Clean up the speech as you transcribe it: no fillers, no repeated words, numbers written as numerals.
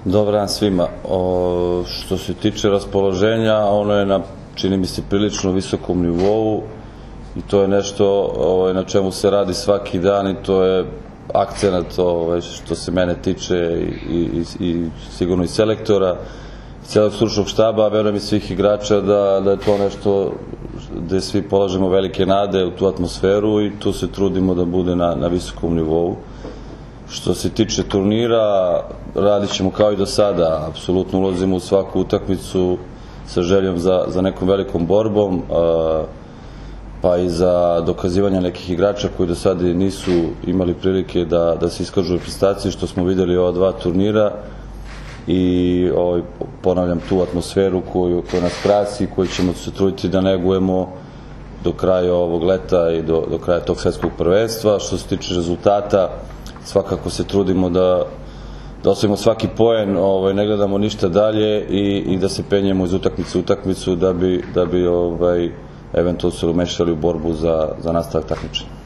Dobar dan svima. Što se tiče raspoloženja, ono je na, čini mi se, prilično visokom nivou i to je nešto na čemu se radi svaki dan i to je akcenat što se mene tiče i sigurno i selektora, celog stručnog štaba, a verujem i svih igrača da je to nešto gde svi polažemo velike nade u tu atmosferu i tu se trudimo da bude na visokom nivou. Što se tiče turnira, radit ćemo kao i do sada, apsolutno ulazimo u svaku utakmicu sa željom za nekom velikom borbom, pa i za dokazivanje nekih igrača koji do sada nisu imali prilike da se iskažu u reprezentaciji, što smo videli ova dva turnira i ponavljam tu atmosferu koju nas krasi, koju ćemo se truditi da negujemo do kraja ovog leta i do kraja tog svetskog prvenstva. Što se tiče rezultata, svakako se trudimo da osvojimo svaki poen, ne gledamo ništa dalje i da se penjemo iz utakmice u utakmicu da bi eventualno se umešali u borbu za nastavak takmičenja.